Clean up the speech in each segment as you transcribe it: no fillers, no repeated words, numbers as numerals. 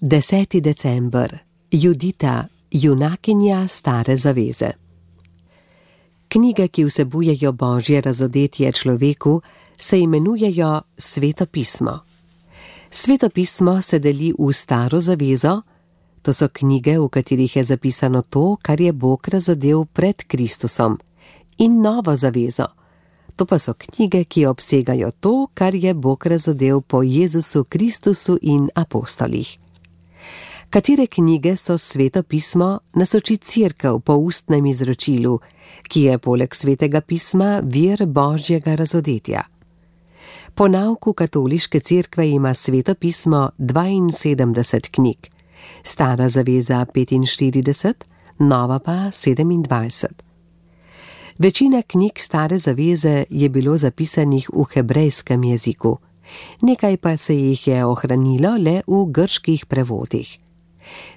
10. december. Judita, junakinja Stare zaveze. Knjige, ki vsebujejo Božje razodetje človeku, se imenujejo Sveto pismo. Sveto pismo se deli v Staro zavezo, to so knjige, v katerih je zapisano to, kar je Bog razodel pred Kristusom, in Novo zavezo, to pa so knjige, ki obsegajo to, kar je Bog razodel po Jezusu Kristusu in apostolih. Katere knjige so Sveto pismo, nas uči Cerkev po ustnem izročilu, ki je poleg Svetega pisma vir Božjega razodetja. Po nauku katoliške cerkve ima Sveto pismo 72 knjig, Stara zaveza 45, Nova pa 27. Večina knjig Stare zaveze je bilo zapisanih v hebrejskem jeziku, nekaj pa se jih je ohranilo le v grških prevodih.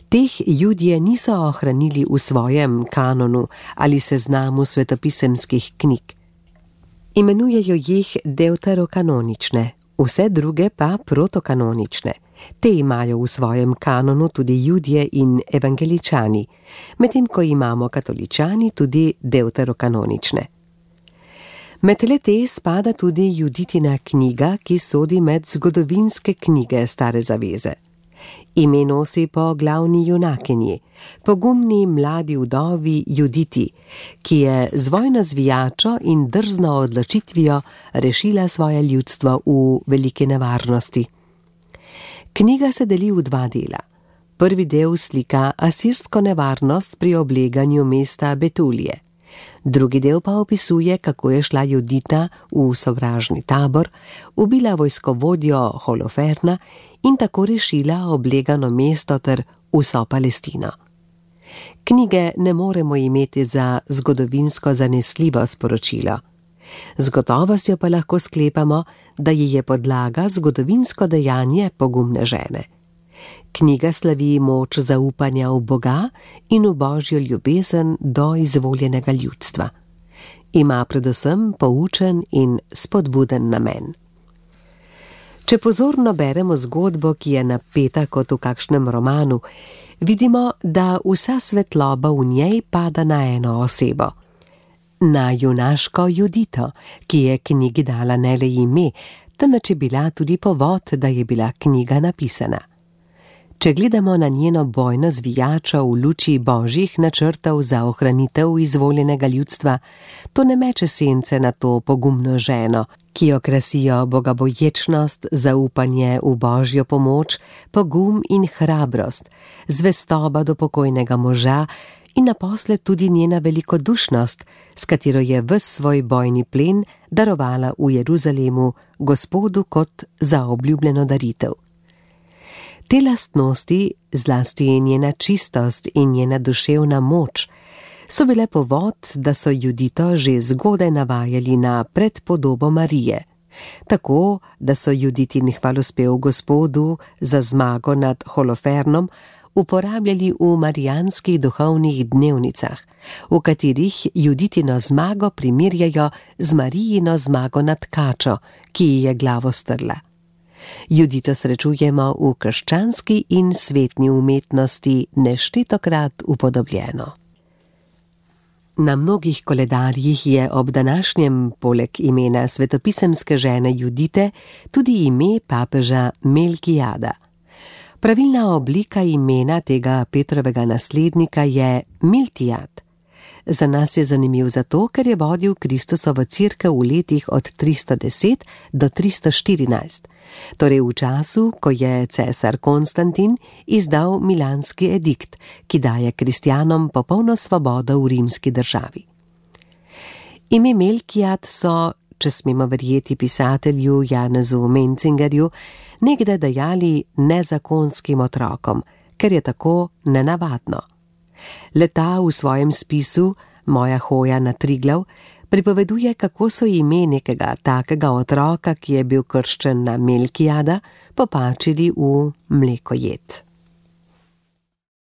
Teh Judje niso ohranili v svojem kanonu ali seznamu svetopisemskih knjig. Imenujejo jih deuterokanonične, vse druge pa protokanonične. Te imajo v svojem kanonu tudi Judje in evangeličani, medtem ko imamo katoličani tudi deuterokanonične. Med le-te spada tudi Juditina knjiga, ki sodi med zgodovinske knjige Stare zaveze. Ime nosi po glavni junakinji, pogumni mladi vdovi Juditi, ki je z vojno zvijačo in drzno odločitvijo rešila svoje ljudstvo v veliki nevarnosti. Knjiga se deli v dva dela. Prvi del slika asirsko nevarnost pri obleganju mesta Betulije. Drugi del pa opisuje, kako je šla Judita v sovražni tabor, ubila vojskovodjo Holoferna in tako rešila oblegano mesto ter vso Palestino. Knjige ne moremo imeti za zgodovinsko zanesljivo sporočilo. Z gotovostjo pa lahko sklepamo, da ji je podlaga zgodovinsko dejanje pogumne žene. Knjiga slavi moč zaupanja v Boga in v Božjo ljubezen do izvoljenega ljudstva. Ima predvsem poučen in spodbuden namen. Če pozorno beremo zgodbo, ki je napeta kot v kakšnem romanu, vidimo, da vsa svetloba v njej pada na eno osebo. Na junaško Judito, ki je knjigi dala ne le ime, temveč je bila tudi povod, da je bila knjiga napisana. Če gledamo na njeno bojno zvijačo v luči Božjih načrtov za ohranitev izvoljenega ljudstva, to ne meče sence na to pogumno ženo, ki jo krasijo bogaboječnost, zaupanje v Božjo pomoč, pogum in hrabrost, zvestoba do pokojnega moža in naposled tudi njena velikodušnost, s katero je ves svoj bojni plen darovala v Jeruzalemu Gospodu kot zaobljubljeno daritev. Te lastnosti, zlasti njena čistost in njena duševna moč, so bile povod, da so Judito že zgodaj navajali na predpodobo Marije, tako da so Juditin hvalospev Gospodu za zmago nad Holofernom uporabljali v marijanskih duhovnih dnevnicah, v katerih Juditino zmago primerjajo z Marijino zmago nad kačo, ki ji je glavo strla. Judito srečujemo v krščanski in svetni umetnosti neštetokrat upodobljeno. Na mnogih koledarjih je ob današnjem poleg imena svetopisemske žene Judite tudi ime papeža Melkijada. Pravilna oblika imena tega Petrovega naslednika je Miltijad. Za nas je zanimiv zato, ker je vodil Kristusovo cerkev v letih od 310 do 314, torej v času, ko je cesar Konstantin izdal milanski edikt, ki daje kristjanom popolno svobodo v rimski državi. Ime Melkijad so, če smemo verjeti pisatelju Janezu Mencingerju, nekdaj dajali nezakonskim otrokom, ker je tako nenavadno. Leta v svojem spisu Moja hoja na Triglav pripoveduje, kako so ime nekega takega otroka, ki je bil krščen na Melkijada, popačili v mlekojed.